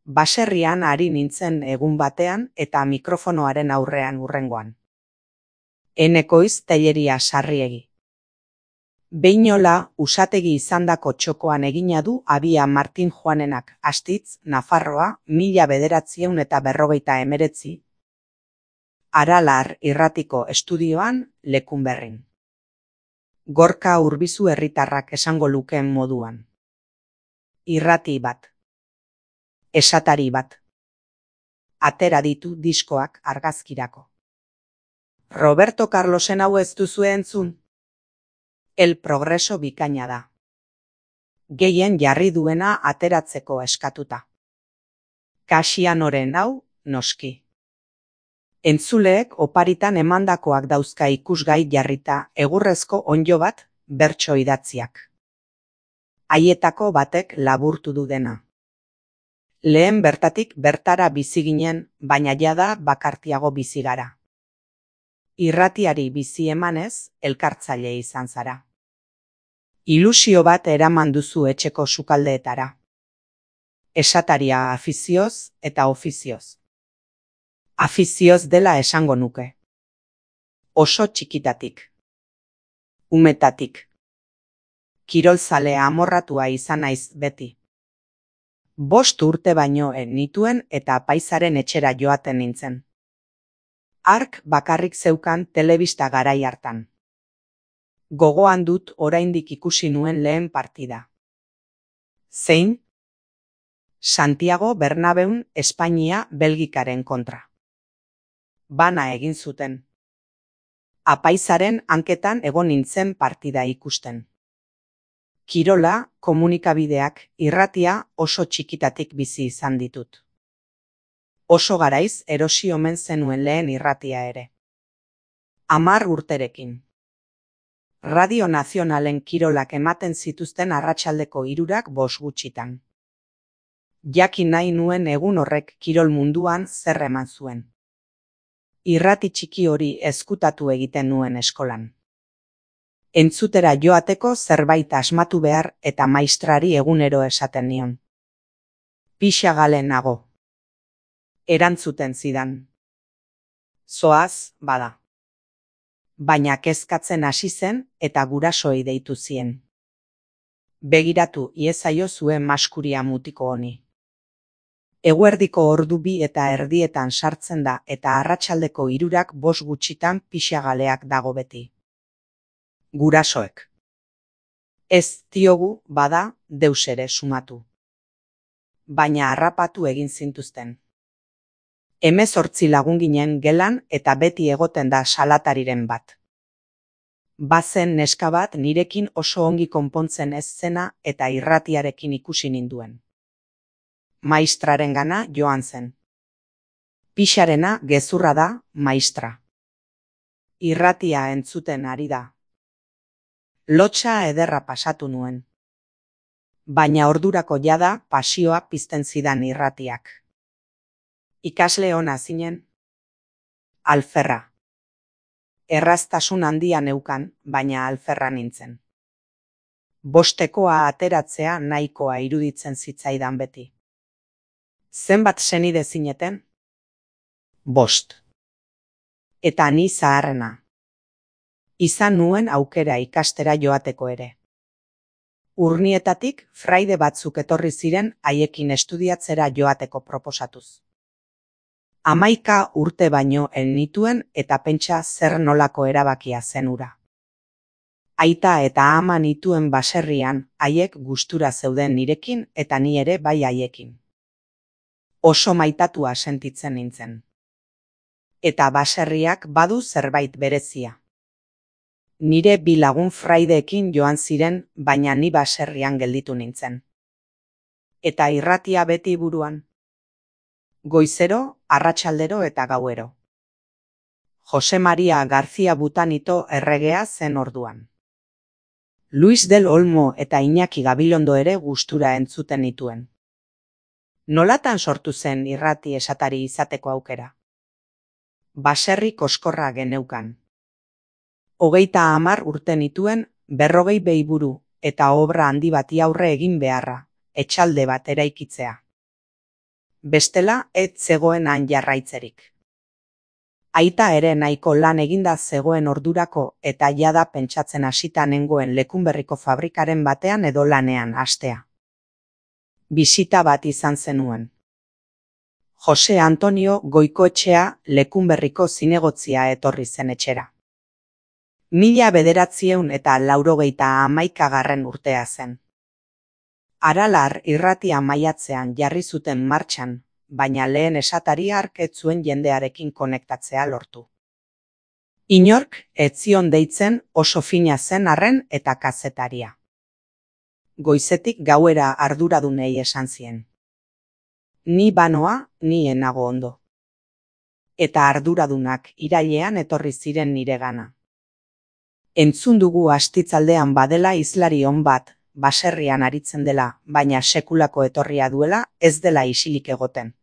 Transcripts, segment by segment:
Baserrian ari nintzen egun batean eta mikrofonoaren aurrean hurrengoan. Enekoiz Telleria Sarriegi. Beinola usategi izandako txokoan egina du Abia Martin Joanenak Astitz, Nafarroa, 1949. Aralar irratiko estudioan Lekunberrin. Gorka Urbizu herritarrak esango lukeen moduan. Irrati bat. Esatari bat. Atera ditu diskoak argazkirako. Roberto Carlosen hau ez duzue entzun? El Progreso bikaina da. Gehien jarri duena ateratzeko eskatuta. Kasianoren hau, noski. Entzuleek oparitan emandakoak dauzka ikusgai jarrita egurrezko onddo bat bertso idatziak. Haietako batek laburtu du dena. Lehen bertatik bertara bizi ginen, baina jada bakartiago bizi gara. Irratiari bizi emanez, elkartzaile izan zara. Ilusio bat eraman duzu etxeko sukaldeetara. Esataria afizioz eta ofizioz. Afizioz dela esango nuke. Oso txikitatik. Umetatik. Kirolzale amorratua izan naiz beti. 5 urte baino nituen eta apaizaren etxera joaten nintzen. Hark bakarrik zeukan telebista garai hartan. Gogoan dut oraindik ikusi nuen lehen partida. Zein? Santiago Bernabeun Espainia Belgikaren kontra. Bana egin zuten. Apaizaren hanketan egon nintzen partida ikusten. Kirola, komunikabideak, irratia oso txikitatik bizi izan ditut. Oso garaiz erosi omen zenuen lehen irratia ere. 10 urterekin. Radio Nazionalen kirolak ematen zituzten arratsaldeko 3:00 gutxitan. Jakin nahi nuen egun horrek kirol munduan zer eman zuen. Irrati txiki hori ezkutatu egiten nuen eskolan. Entzutera joateko zerbait asmatu behar eta maistrari egunero esaten nion. Pixagale nago. Erantzuten zidan. Zoaz, bada. Baina kezkatzen hasi zen eta gurasoei deitu zien. Begiratu iezaio zuen maskuria mutiko honi. Eguerdiko ordu 2:30 sartzen da eta arratsaldeko 3:05 gutxitan pixagaleak dago beti. Gurasoek. Ez diogu, bada, deus ere sumatu. Baina harrapatu egin zintuzten. 18 lagun ginen gelan eta beti egoten da salatariren bat. Bazen neska bat nirekin oso ongi konpontzen ez zena eta irratiarekin ikusi ninduen. Maistrarengana joan zen. Pixarena gezurra da, maistra. Irratia entzuten ari da. Lotsa ederra pasatu nuen. Baina ordurako jada pasioa pizten zidan irratiak. Ikasle ona zinen. Alferra. Erraztasun handia neukan, baina alferra nintzen. 5 ateratzea nahikoa iruditzen zitzaidan beti. Zenbat senide zineten? 5. Eta ni zaharrena. Izan nuen aukera ikastera joateko ere. Urnietatik fraide batzuk etorri ziren haiekin estudiatzera joateko proposatuz. 11 urte baino nituen eta pentsa zer nolako erabakia zen hura. Aita eta ama nituen baserrian haiek gustura zeuden nirekin eta ni ere bai haiekin. Oso maitatua sentitzen nintzen. Eta baserriak badu zerbait berezia. Nire 2 lagun fraideekin joan ziren, baina ni baserrian gelditu nintzen. Eta irratia beti buruan. Goizero, arratsaldero eta gauero. Jose Maria García Butanito erregea zen orduan. Luis del Olmo eta Iñaki Gabilondo ere gustura entzuten nituen. Nolatan sortu zen irrati esatari izateko aukera? Baserri koskorra geneukan. 30 urte nituen 40 beiburu eta obra handi bati aurre egin beharra, etxalde bat eraikitzea. bestela ez zegoen han jarraitzerik. Aita ere nahiko lan eginda zegoen ordurako eta jada pentsatzen hasita nengoen Lekunberriko fabrikaren batean edo lanean hastea. Bisita bat izan zenuen. Jose Antonio Goikoetxea Lekunberriko zinegotzia etorri zen etxera. 1991 urtea zen. Aralar irratia maiatzean jarri zuten martxan, baina lehen esatari hark ez zuen jendearekin konektatzea lortu. Inork ez zion deitzen oso fina zen arren eta kazetaria. Goizetik gauera arduradunei esan zien. Ni banoa, ni enago ondo. Eta arduradunak irailean etorri ziren niregana. Entzun dugu astitzaldean badela hizlari on bat, baserrian aritzen dela, baina sekulako etorria duela ez dela isilik egoten.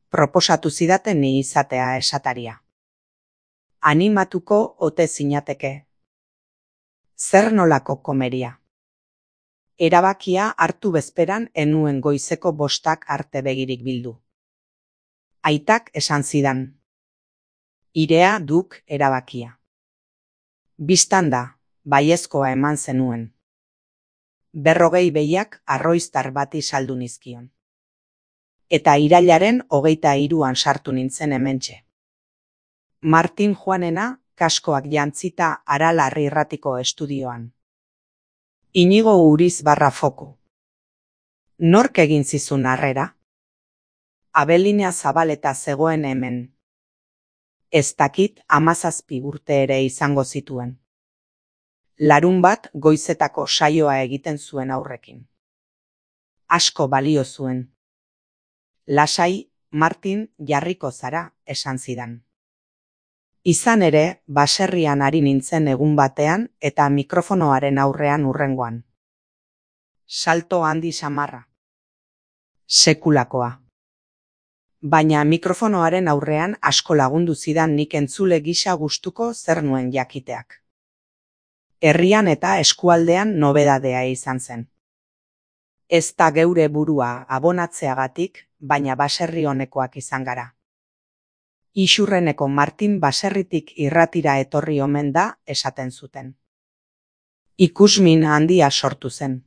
Proposatu zidaten ni izatea esataria. Animatuko ote zinateke. Zer nolako komeria. Erabakia hartu bezperan enuen goizeko 5 arte begirik bildu. Aitak esan zidan. Irea duk erabakia. Bistan da, baiezkoa eman zenuen. 40 behiak arroiztar bati saldu nizkion. Eta irailaren 23an sartu nintzen hementxe. Martin Juanena kaskoak jantzita Aralar irratiko estudioan. Inigo Uriz Barrafoku. Nork egin zizun harrera? Abelinea Zabaleta zegoen hemen. Ez dakit 17 urte ere izango zituen. Larunbat goizetako saioa egiten zuen aurrekin. Asko balio zuen. Lasai, Martin, jarriko zara, esan zidan. Izan ere, baserrian ari nintzen egun batean eta mikrofonoaren aurrean hurrengoan. Salto handi samarra. Sekulakoa. Baina mikrofonoaren aurrean asko lagundu zidan nik entzule gisa gustuko zer nuen jakiteak. Herrian eta eskualdean nobedadea izan zen. Ez da geure burua abonatzeagatik, baina baserri honekoak izan gara. Isurreneko Martin baserritik irratira etorri omen da esaten zuten. Ikusmin handia sortu zen.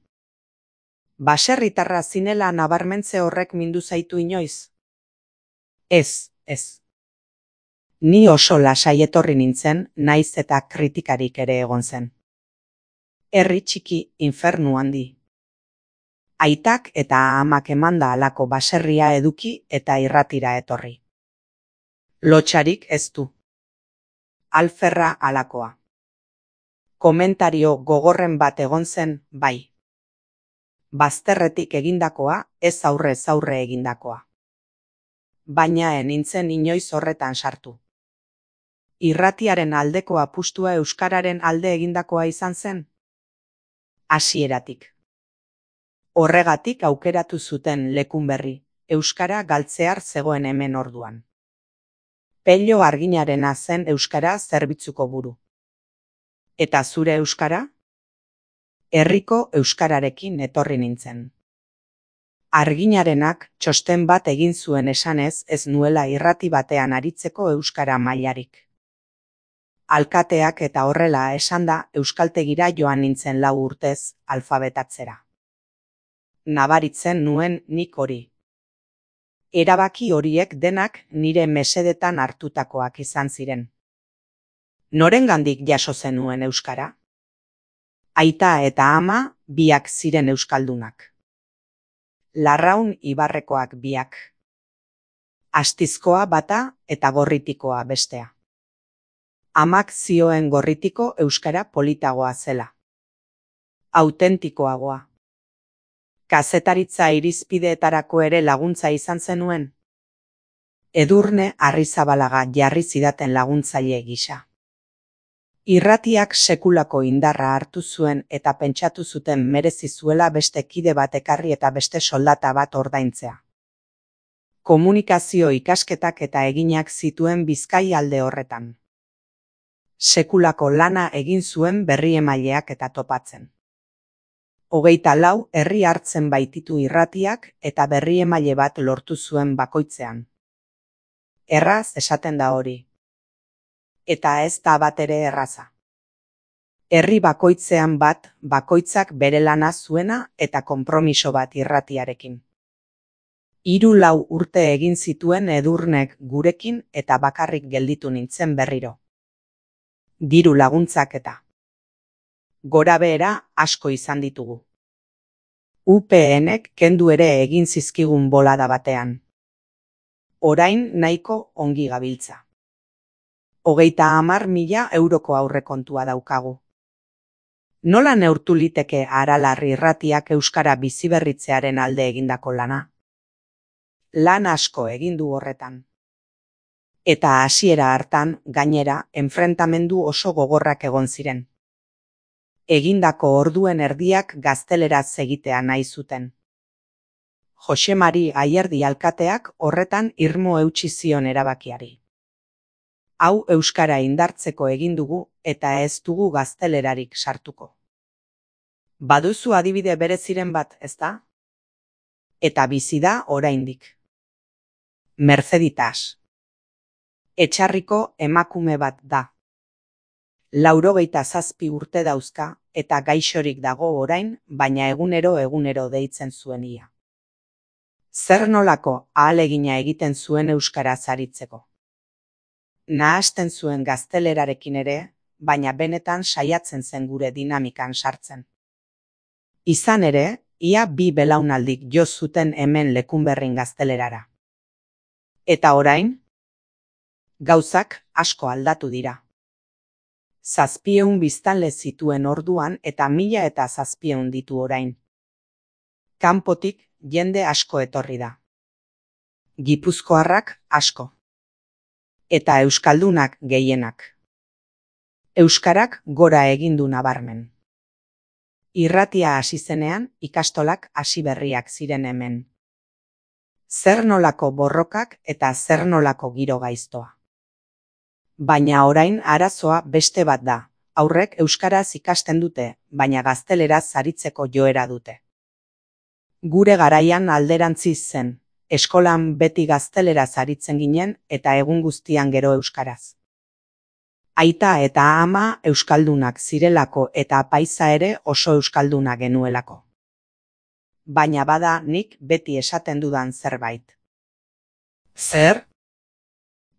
Baserritarra zinela nabarmentze horrek mindu zaitu inoiz? Ez. Ni oso lasai etorri nintzen, naiz eta kritikarik ere egon zen. Herri txiki, infernu handi. Aitak eta amak emanda halako baserria eduki eta irratira etorri. Lotxarik ez du. Alferra halakoa. Komentario gogorren bat egon zen, bai. Bazterretik egindakoa, ez aurrez aurre egindakoa. Baina nintzen inoiz horretan sartu. Irratiaren aldeko apustua euskararen alde egindakoa izan zen? Hasieratik. Horregatik aukeratu zuten Lekunberri, euskara galtzear zegoen hemen orduan. Pello Arginarena zen euskara zerbitzuko buru. Eta zure euskara? Herriko euskararekin etorri nintzen. Arginarenak txosten bat egin zuen esanez ez nuela irrati batean aritzeko euskara mailarik. Alkateak eta horrela esanda euskaltegira joan nintzen 4 urtez alfabetatzera. Nabaritzen nuen nik hori. Erabaki horiek denak nire mesedetan hartutakoak izan ziren. Norengandik jaso zenuen euskara? Aita eta ama biak ziren euskaldunak. Larraun Ibarrekoak biak. Astizkoa bata eta Gorritikoa bestea. Amak zioen Gorritiko euskara politagoa zela. Autentikoagoa. Kazetaritza irizpideetarako ere laguntza izan zenuen. Edurne Arrizabalaga jarri zidaten laguntzaile gisa. Irratiak sekulako indarra hartu zuen eta pentsatu zuten merezi zuela beste kide bat ekarri eta beste soldata bat ordaintzea. Komunikazio ikasketak eta eginak zituen Bizkai alde horretan. Sekulako lana egin zuen berriemaileak eta topatzen. 24 herri hartzen baititu irratiak eta berri emaile bat lortu zuen bakoitzean. Erraz esaten da hori. Eta ez da batere erraza. Herri bakoitzean bat, bakoitzak bere lana zuena eta konpromiso bat irratiarekin. 3-4 urte egin zituen Edurnek gurekin eta bakarrik gelditu nintzen berriro. Diru laguntzak eta gorabehera asko izan ditugu. UPNek kendu ere egin zizkigun bolada batean. Orain nahiko ongi gabiltza. 30.000 euroko aurrekontua daukagu. Nola neurtu liteke Aralar irratiak euskara biziberritzearen alde egindako lana? Lan asko egin du horretan. Eta hasiera hartan, gainera, enfrentamendu oso gogorrak egon ziren. Egindako orduen erdiak gazteleraz egitea nahi zuten. Jose Mari Ayerdi alkateak horretan irmo eutsi zion erabakiari. Hau euskara indartzeko egin dugu eta ez dugu gaztelerarik sartuko. Baduzu adibide bereziren bat, ezta? Eta bizi da oraindik. Merceditas. Etxarriko emakume bat da. 97 urte dauzka eta gaixorik dago orain, baina egunero deitzen zuen ia. Zer nolako ahalegina egiten zuen euskaraz aritzeko. Nahasten zuen gaztelerarekin ere, baina benetan saiatzen zen gure dinamikan sartzen. Izan ere, ia 2 belaunaldik jo zuten hemen Lekunberrin gaztelerara. Eta orain? Gauzak asko aldatu dira. 700 biztanle zituen orduan eta 1700 ditu orain. Kanpotik jende asko etorri da. Gipuzkoarrak asko. Eta euskaldunak gehienak. Euskarak gora egin du nabarmen. Irratia hasi zenean ikastolak hasi berriak ziren hemen. Zer nolako borrokak eta zer nolako giro gaiztoa. Baina orain arazoa beste bat da. Aurrek euskaraz ikasten dute, baina gazteleraz aritzeko joera dute. Gure garaian alderantziz zen, eskolan beti gazteleraz aritzen ginen eta egun guztian gero euskaraz. Aita eta ama euskaldunak zirelako eta apaiza ere oso euskalduna genuelako. Baina bada nik beti esaten dudan zerbait. Zer?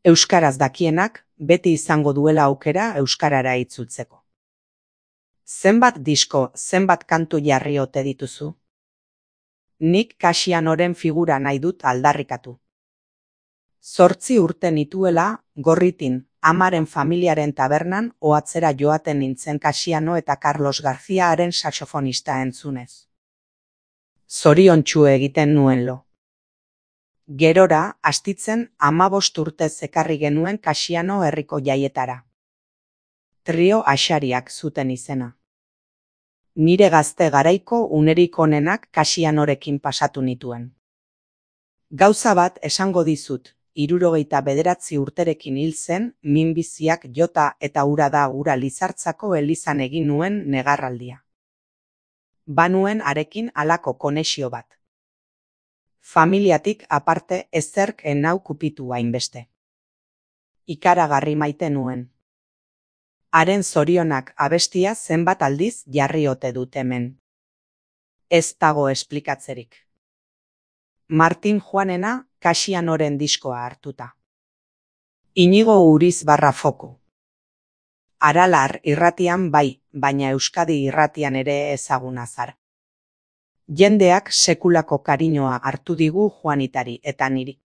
Euskaraz dakienak beti izango duela aukera euskarara itzultzeko. Zenbat disko, zenbat kantu jarri ote dituzu? Nik Kasianoren figura nahi dut aldarrikatu. 8 urte nituela, Gorritin, amaren familiaren tabernan ohatzera joaten nintzen Kasiano eta Carlos Garziaaren saxofonista entzunez. Zoriontsu egiten nuen lo. Gerora, astitzen 15 urte ekarri genuen Kasiano herriko jaietara. Trio Axariak zuten izena. Nire gazte garaiko unerik onenak Kasianorekin pasatu nituen. Gauza bat esango dizut, 79 urterekin hil zen, minbiziak jota eta ura da ura Lizartzako elizan egin nuen negarraldia. Banuen harekin halako konexio bat. Familiatik aparte ezerk enau kupitu hainbeste. Ikaragarri maite nuen. Haren zorionak abestia zenbat aldiz jarri ote dut hemen. Ez dago esplikatzerik. Martin Juanena Kasianoren diskoa hartuta. Inigo Uriz Barrafoku. Aralar irratian bai, baina Euskadi irratian ere ezaguna zara. Jendeak sekulako kariñoa hartu digu Juanitari eta niri.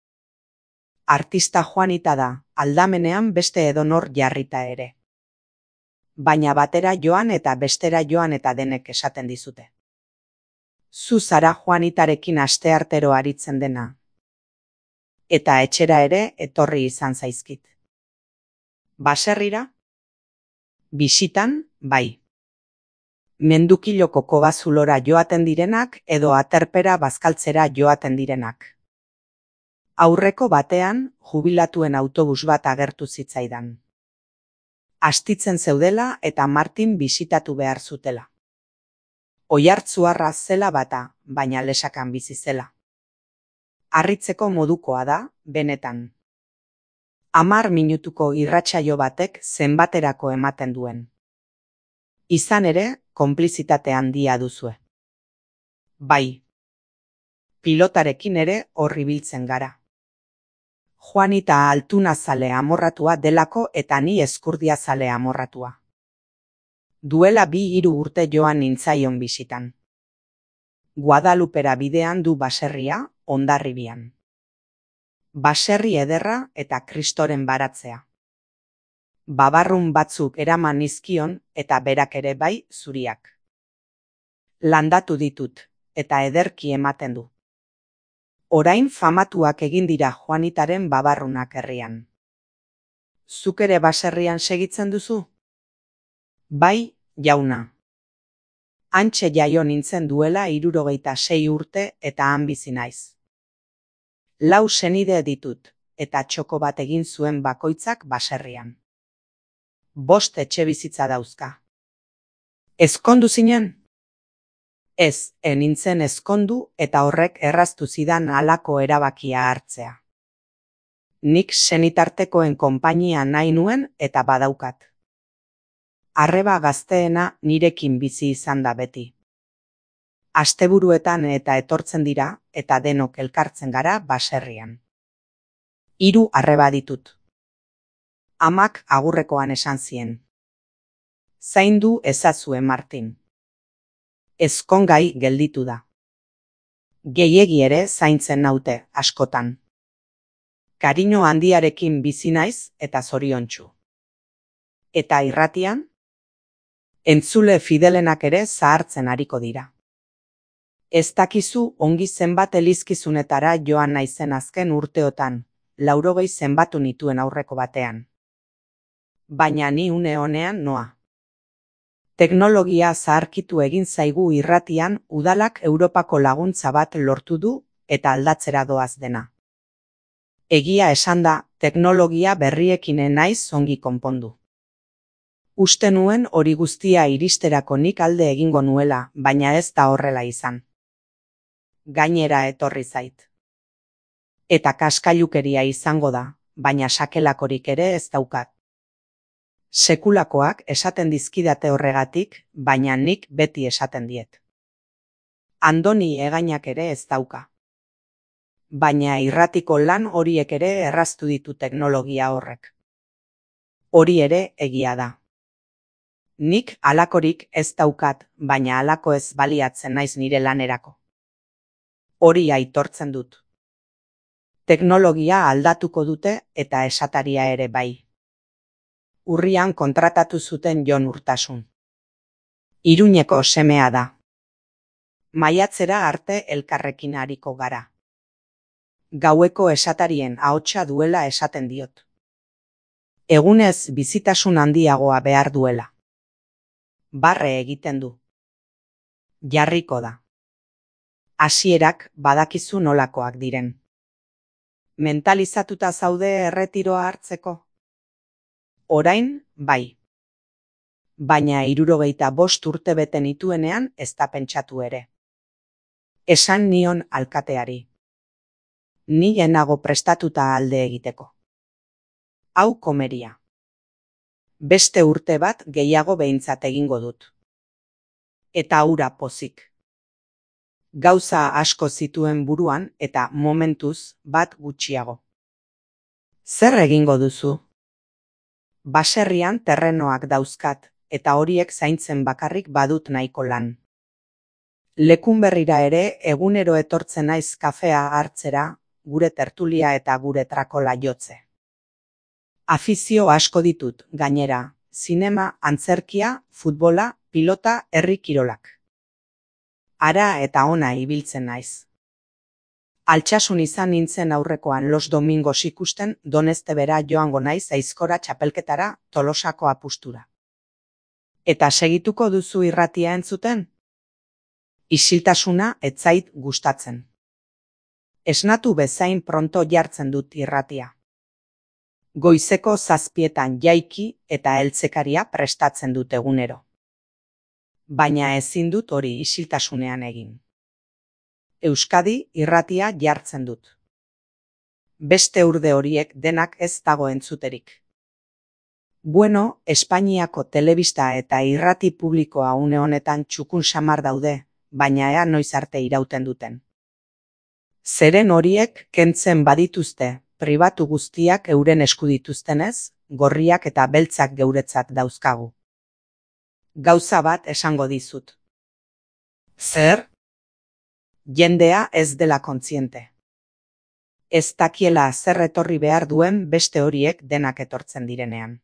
Artista Juanita da, aldamenean beste edonor jarrita ere. Baina batera joan eta bestera joan eta denek esaten dizute. Zu zara Juanitarekin asteartero aritzen dena. Eta etxera ere etorri izan zaizkit. Baserrira? Bisitan, bai. Mendukiloko kobazulora joaten direnak edo aterpera bazkaltzera joaten direnak. Aurreko batean, jubilatuen autobus bat agertu zitzaidan. Astitzen zeudela eta Martin bisitatu behar zutela. Oihartzuarra zela bata, baina lesakan bizi zela. Harritzeko modukoa da, benetan. 10 minutuko irratsaio batek zenbaterako ematen duen. Izan ere, konplizitate handia duzue. Bai. Pilotarekin ere hor ibiltzen gara. Juanita altunazale amorratua delako eta ni ezkurdiazale amorratua. Duela 2-3 urte joan nintzaion bisitan. Guadalupera bidean du baserria, Hondarribian. Baserri ederra eta Kristoren baratzea. Babarrun batzuk eraman nizkion eta berak ere bai zuriak. Landatu ditut, eta ederki ematen du. Orain famatuak egin dira Juanitaren babarrunak herrian. Zuk ere baserrian segitzen duzu? Bai, jauna. Hantxe jaio nintzen duela 76 urte eta han bizi naiz. 4 senide ditut, eta txoko bat egin zuen bakoitzak baserrian. 5 etxebizitza dauzka. Ezkondu zinen? Ez, nintzen ezkondu eta horrek erraztu zidan halako erabakia hartzea. Nik senitartekoen konpainia nahi nuen eta badaukat. Arreba gazteena nirekin bizi izan da beti. Asteburuetan eta etortzen dira eta denok elkartzen gara baserrian. 3 arreba ditut. Amak agurrekoan esan zien. Zaindu ezazue Martin. Ezkongai gelditu da. Gehiegi ere zaintzen naute, askotan. Kariño handiarekin bizi naiz eta zoriontsu. Eta irratian? Entzule fidelenak ere zahartzen ariko dira. Ez dakizu ongi zenbat elizkizunetara joan naizen azken urteotan, 80 zenbatu nituen aurreko batean. Baina ni une honean noa. Teknologia zaharkitu egin zaigu irratian udalak Europako laguntza bat lortu du eta aldatzera doaz dena. Egia esanda, teknologia berriekin naiz ongi konpondu. Uste nuen hori guztia iristerako nik alde egingo nuela, baina ez da horrela izan. Gainera etorri zait. Eta kaskailukeria izango da, baina sakelakorik ere ez daukat. Sekulakoak esaten dizkidate horregatik, baina nik beti esaten diet. Andoni egainak ere ez dauka. Baina irratiko lan horiek ere erraztu ditu teknologia horrek. Hori ere egia da. Nik halakorik ez daukat, baina halako ez baliatzen naiz nire lanerako. Hori aitortzen dut. Teknologia aldatuko dute eta esataria ere bai. Urrian kontratatu zuten Jon Urtasun. Iruñeko semea da. Maiatzera arte elkarrekin ariko gara. Gaueko esatarien ahotsa duela esaten diot. Egunez bizitasun handiagoa behar duela. Barre egiten du. Jarriko da. Hasierak badakizu nolakoak diren. Mentalizatuta zaude erretiroa hartzeko? Orain, bai. Baina 75 urte bete nituenean ez da pentsatu ere. Esan nion alkateari. Ni nago prestatuta alde egiteko. Hau komeria. Beste urte bat gehiago behintzat egingo dut. Eta hura pozik. Gauza asko zituen buruan eta momentuz bat gutxiago. Zer egingo duzu? Baserrian terrenoak dauzkat, eta horiek zaintzen bakarrik badut nahiko lan. Lekunberrira ere egunero etortzen naiz kafea hartzera, gure tertulia eta gure trakola jotze. Afizio asko ditut, gainera, zinema, antzerkia, futbola, pilota, herri kirolak. Hara eta ona ibiltzen naiz. Altsasun izan nintzen aurrekoan Los Domingos ikusten Doneztebera joango naiz aizkora txapelketara Tolosako apustura. Eta segituko duzu irratia entzuten? Isiltasuna ez zait gustatzen. Esnatu bezain pronto jartzen dut irratia. Goizeko 7etan jaiki eta heltzekaria prestatzen dut egunero. baina ezin dut hori isiltasunean egin. Euskadi irratia jartzen dut. Beste urde horiek denak ez dago entzuterik. Bueno, Espainiako telebista eta irrati publikoa une honetan txukun samar daude, baina ea noiz arte irauten duten. Zeren horiek kentzen badituzte, pribatu guztiak euren esku dituztenez, gorriak eta beltzak geuretzat dauzkagu. Gauza bat esango dizut. Zer? Jendea ez dela kontziente. Ez dakiela zer etorri behar duen beste horiek denak etortzen direnean.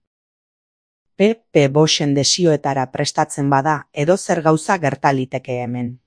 PP Boxen desioetara prestatzen bada edozer gauza gerta liteke hemen.